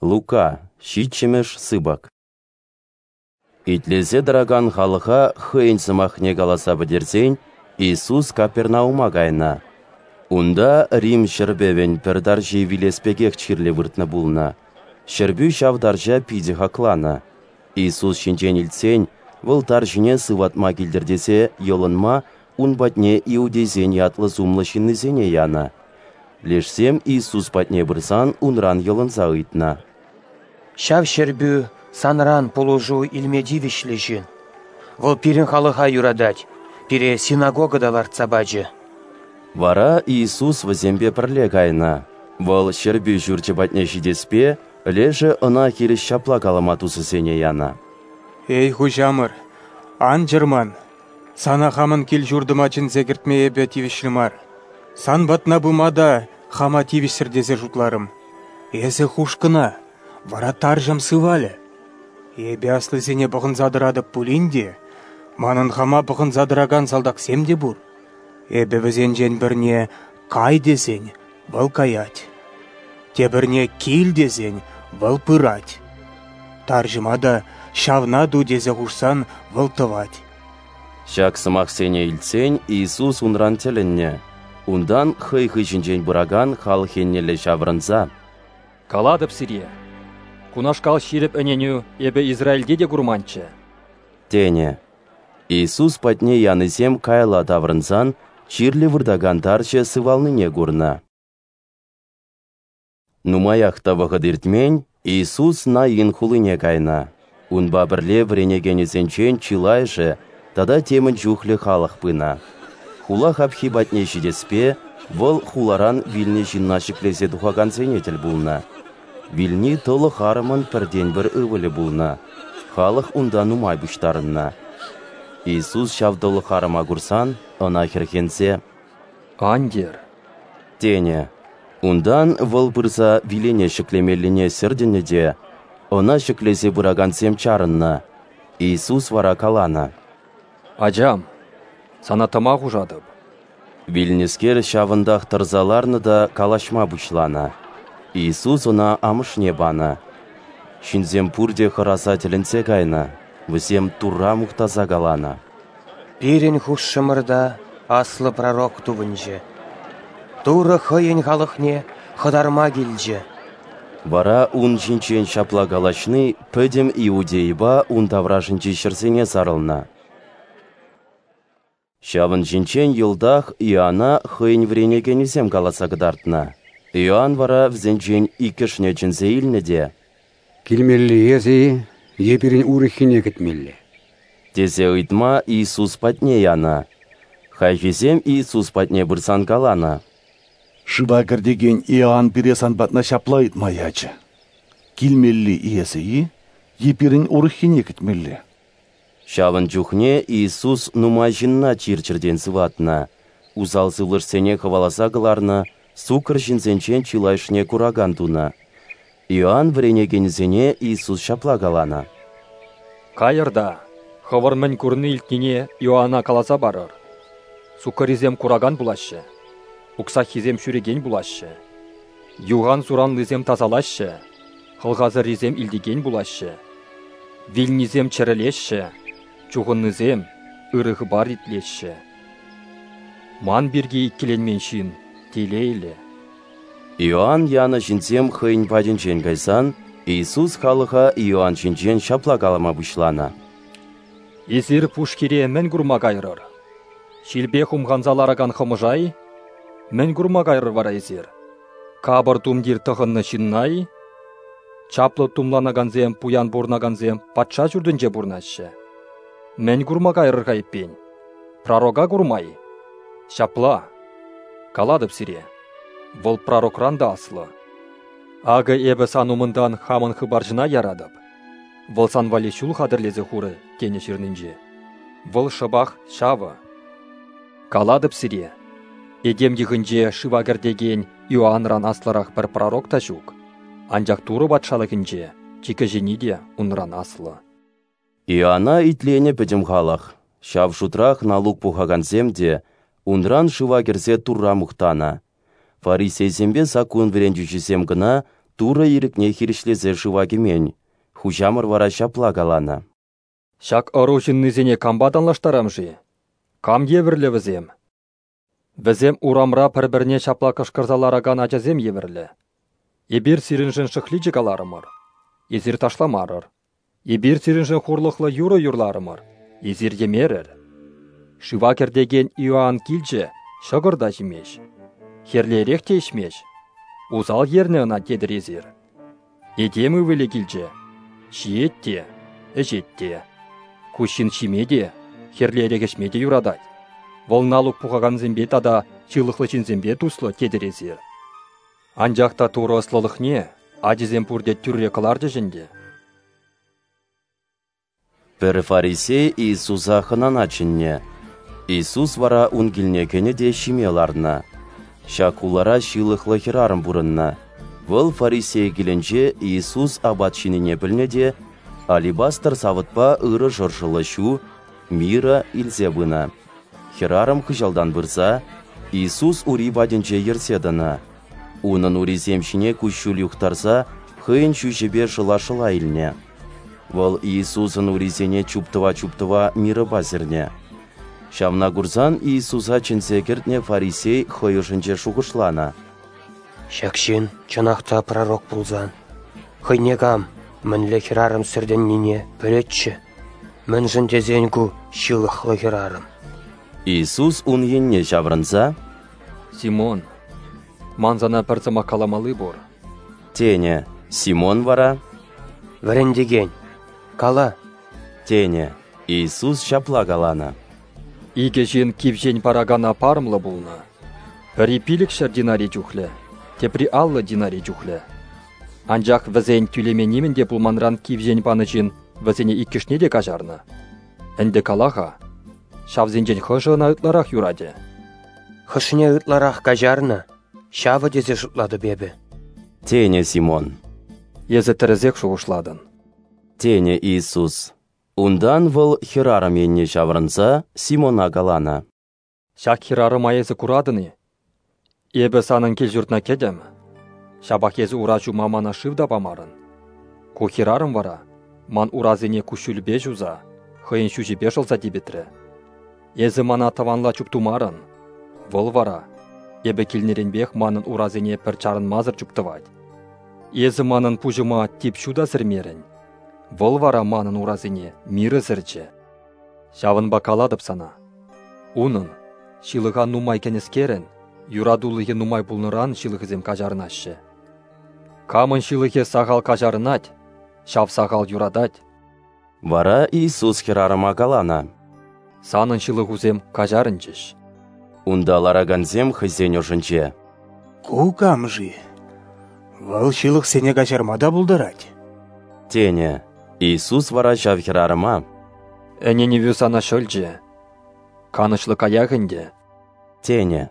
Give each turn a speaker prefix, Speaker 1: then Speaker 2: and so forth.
Speaker 1: Лука, ҫиччӗмӗш сыпӑк. Итлесе тӑракан халӑха хӑйӗн сӑмахне каласа пӗтерсен Иисус Капернаума кайнӑ. Унта Рим ҫӗрпӗвӗн пӗр тарҫи вилес пекех чирлӗ выртнӑ пулнӑ. Ҫӗрпӳ ҫав тарҫа питӗ хакланӑ. Иисус ҫинчен илтсен вӑл тарҫине сыватма килтӗр тесе йӑлӑнма ун патне иудейсен ятлӑ-сумлӑ ҫыннисене янӑ. Лешсем Иисус патне пырсан унран йӑлӑнса ыйтнӑ:
Speaker 2: «Ҫав ҫӗрпӳ санран пулӑшу илме тивӗҫлӗ ҫын. Вӑл пирӗн халӑха юратать, пире синагога та лартса пачӗ».
Speaker 1: Вара Иисус вӗсемпе пӗрле кайнӑ. Вӑл ҫӗрпӳ ҫурчӗ патне ҫитеспе лешӗ ӑна хирӗҫ ҫапла калама тусӗсене янӑ:
Speaker 3: «Эй, хуҫамӑр, ан чӑрман, сана хамӑн кил-ҫуртӑма чӗнсе кӗртме эпӗ тивӗҫлӗ мар. Сан патна пыма та хама тивӗҫсӗр тесе шутларӑм. Эсӗ хуш кӑна, вара тарҫӑм сывалӗ. Эпӗ аслисене пӑхӑнса тӑратӑп пулин те, манӑн хама пӑхӑнса тӑракан салтаксем те пур. Эпӗ вӗсенчен пӗрне «кай» тесен, вӑл каять. Тепӗрне «кил» тесен, вӑл пырать. Тарҫӑма та «ҫавна ту» тесе хушсан, вӑл тӑвать.
Speaker 1: Ҫак сӑмахсене илтсен Иисус унран тӗлӗннӗ. Унтан хӑй хыҫӗнчен пыракан халӑх еннелле ҫаврӑнса:
Speaker 4: «Калатӑп сире, кунашкал ҫирӗп ӗненӳ эпӗ Израильте те курманччӗ»,
Speaker 1: тенӗ. Иисус патне янисем каялла таврӑнсан чирлӗ выртакан тарҫӑ сывалнине курнӑ. Нумаях та вӑхӑт иртмен, Иисус Наин хулине кайнӑ. Унпа пӗрле вӗренекенӗсенчен чылайӑшӗ тата темӗн чухлӗ халӑх пынӑ. Хула хапхи патне ҫитеспе вӑл хуларан вилнӗ ҫынна ҫӗклесе тухакансене тӗл пулнӑ. Вилни тӑлӑх арӑмӑн пӗртен-пӗр ывӑлӗ пулнӑ. Халӑх унта нумай пуҫтарӑннӑ. Иисус ҫав тӑлӑх арӑма курсан ӑна хӗрхенсе:
Speaker 4: «Ан йӗр»,
Speaker 1: тенӗ. Унтан вӑл пырса вилене ҫӗклемеллине сӗртӗннӗ те, ӑна ҫӗклесе пыракансем чарӑннӑ. Иисус вара каланӑ:
Speaker 4: «Ачам, сана тӑма хушатӑп».
Speaker 1: Вилнӗскер ҫавӑнтах тӑрса ларнӑ та калаҫма пуҫланӑ. Иисус ӑна амӑшне панӑ. Ҫынсем пурте хӑраса тӗлӗнсе кайнӑ, вӗсем Турра мухтаса каланӑ:
Speaker 2: «Пирӗн хушшӑмӑрта аслӑ пророк тупӑнчӗ. Турӑ хӑйӗн халӑхне хӑтарма килчӗ».
Speaker 1: Вара ун ҫинчен ҫапла калаҫни пӗтӗм Иудейӑпа ун таврашӗнчи ҫӗрсене сарӑлнӑ. Ҫавӑн ҫинчен йӑлтах Иоана хӑйӗн вӗренекенӗсем каласа кӑтартнӑ. Иоанн вара вӗсенчен иккӗшне чӗнсе илнӗ те:
Speaker 5: «Килмелли эсӗ-и е пирӗн урӑххине кӗтмелле?»
Speaker 1: тесе ыйтма Иисус патне янӑ. Хайхисем Иисус патне пырсан каланӑ:
Speaker 6: «Шыва кӗртекен Иоанн пире сан патна ҫапла ыйтма ячӗ: килмелли эсӗ-и е пирӗн урӑххине кӗтмелле?»
Speaker 1: Ҫавӑн чухне Иисус нумай ҫынна чир-чӗртен сыватнӑ, усал сывлӑшсене хӑваласа кӑларнӑ, суккӑр ҫынсенчен чылайӑшне куракан тунӑ. Иоанн вӗренекенӗсене Иисус ҫапла каланӑ:
Speaker 4: «Кайӑр та хӑвӑр мӗн курни-илтнине Иоана каласа парӑр. Суккӑррисем куракан пулаҫҫӗ, уксаххисем ҫӳрекен пулаҫҫӗ, юхан-суранлисем тасалаҫҫӗ, хӑлхасӑррисем илтекен пулаҫҫӗ, вилнисем чӗрӗлеҫҫӗ, чухӑннисем ырӑ хыпар итлеҫҫӗ. Ман пирки иккӗленмен ҫын телейлӗ».
Speaker 1: Иоанн янӑ ҫынсем хӑйӗн патӗнчен кайсан Иисус халӑха Иоанн ҫинчен ҫапла калама пуҫланӑ:
Speaker 4: «Эсир пушхире мӗн курма кайрӑр? Ҫилпе хумханса ларакан хӑмӑша-и? Мӗн курма кайрӑр вара эсир? Капӑр тумтир тӑхӑннӑ ҫынна-и? Чаплӑ тумланакансем, пуян пурӑнакансем патша ҫуртӗнче пурӑнаҫҫӗ. Мӗн курма кайрӑр-ха эппин? Пророка курма-и? Ҫапла, калатӑп сире, вӑл пророкран та аслӑ. Акӑ эпӗ сан умӑнтан хамӑн хыпарҫӑна яратӑп. Вӑл сан валли ҫул хатӗрлесе хурӗ, тенӗ ҫырнинче. Вӑл шӑпах ҫавӑ. Калатӑп сире, этем йӑхӗнче шыва кӗртекен Иоанран аслӑрах пӗр пророк та ҫук, анчах Турӑ патшалӑхӗнче чи кӗҫӗнни те унран аслӑ».
Speaker 1: Иоана итленӗ пӗтӗм халӑх, ҫав шутрах налук пухакансем те, унран шыва кӗрсе Турра мухтанӑ. Фарисейсемпе саккун вӗрентӳҫисем кӑна Турӑ ирӗкне хирӗҫлесе шыва кӗмен. Хуҫамӑр вара ҫапла каланӑ:
Speaker 4: Ҫак ӑру ҫыннисене кампа танлаштарам-ши? Кам евӗрлӗ вӗсем? Вӗсем урамра пӗр-пӗрне ҫапла кӑшкӑрса ларакан ачасем евӗрлӗ. Эпир сирӗншӗн шӑхличӗ каларӑмӑр, эсир ташламарӑр. Эпир сирӗншӗн хурлӑхлӑ юрӑ юрларӑмӑр, эсир йӗмерӗр. Шыва кӗртекен Иоанн килчӗ, ҫӑкӑр та ҫимест, хӗрлӗ эрех те ӗҫмест. Усал ернӗ ӑна тетӗр эсир. Этем ывӑлӗ килчӗ, ҫиет те, ӗҫет те. Ку ҫын ҫиме те, хӗрлӗ эрех ӗҫме те юратать. Вӑл налук пухакансемпе тата ҫылӑхлӑ ҫынсемпе туслӑ тетӗр эсир. Анчах та Турӑ ӑслӑлӑхне ачисем пурте тӳрре кӑларчӗҫ ӗнтӗ.
Speaker 1: Пӗр фарисей Иисуса хӑнана чӗннӗ. Иисус вара ун килне кӗнӗ те ҫиме ларнӑ. Ҫак хулара ҫылӑхлӑ хӗрарӑм пурӑннӑ. Вӑл фарисей килӗнче Иисус апат ҫинине пӗлнӗ те алебастр савӑтпа ырӑ шӑршӑллӑ ҫу, мира илсе пынӑ. Хӗрарӑм хыҫалтан пырса Иисус ури патӗнче йӗрсе тӑнӑ. Унӑн урисем ҫине куҫҫуль юхтарса хӑйӗн ҫӳҫӗпе шӑла-шӑла илнӗ. Вӑл Иисусӑн урисене чуптӑва-чуптӑва мирӑпа сӗрнӗ. Ҫавна курсан Иисуса чӗнсе кӗртнӗ фарисей хӑй ӑшӗнче шухӑшланӑ:
Speaker 2: Ҫак ҫын чӑнах та пророк пулсан, хӑйне кам, мӗнле хӗрарӑм сӗртӗннине пӗлетчӗ. Мӗншӗн тесен ку ҫылӑхлӑ хӗрарӑм.
Speaker 1: Иисус ун енне ҫаврӑнса:
Speaker 4: Симон, ман сана пӗр сӑмах каламалли пур,
Speaker 1: тенӗ. Симон вара:
Speaker 2: Вӗрентекен, кала,
Speaker 1: тенӗ. Иисус ҫапла каланӑ:
Speaker 4: Икӗ ҫын кивҫен паракана парӑмлӑ пулнӑ. Пӗри 500 динари чухлӗ, тепри 50 динари чухлӗ. Анчах вӗсен тӳлеме нимӗн те пулманран кивҫен панӑ ҫын вӗсене иккӗшне те каҫарнӑ. Ӗнтӗ кала-ха, ҫавсенчен хӑшӗ ӑна ытларах юратӗ?
Speaker 2: Хӑшне ытларах каҫарнӑ, ҫавӑ тесе шутлатӑп эпӗ,
Speaker 1: тенӗ Симон.
Speaker 4: Эсӗ тӗрӗсех шухӑшлатӑн,
Speaker 1: тенӗ Иисус. Унтан вӑл хӗрарӑм енне ҫаврӑнса Симона каланӑ:
Speaker 4: Ҫак хӗрарӑма эсӗ куратӑн-и? Эпӗ санӑн кил-ҫуртна кӗтӗм, ҫапах эсӗ ура ҫума мана шыв та памарӑн. Ку хӗрарӑм вара ман урасене куҫҫульпе ҫуса, хӑйӗн ҫӳҫӗпе шӑлса типӗтрӗ. Эсӗ мана тӑванла чуптумарӑн, вӑл вара эпӗ килнӗренпех манӑн урасене пӗр чарӑнмасӑр чуптӑвать. Эсӗ манӑн пуҫӑма тип ҫу та сӗрмерӗн, вӑл вара манӑн урасене мирӗ сӗрчӗ. Ҫавӑнпа калатӑп сана, унӑн, ҫылӑха нумай кӗнӗскерӗн, юратулӑхӗ нумай пулнӑран ҫылӑхӗсем каҫарӑнаҫҫӗ. Камӑн ҫылӑхӗ сахал каҫарӑнать, ҫав сахал юратать.
Speaker 1: Вара Иисус хӗрарӑма каланӑ:
Speaker 4: Санӑн ҫылӑхусем каҫарӑнчӗҫ.
Speaker 1: Унта ларакансем хӑйсен ӑшӗнче:
Speaker 3: Ку кам-ши? Вӑл ҫылӑхсене каҫарма та пултарать,
Speaker 1: тенӗ. Иисус вара ҫав хӗрарӑма:
Speaker 4: Ӗненӗвӳ сана ҫӑлчӗ, канӑҫлӑ каях ӗнтӗ,
Speaker 1: тенӗ.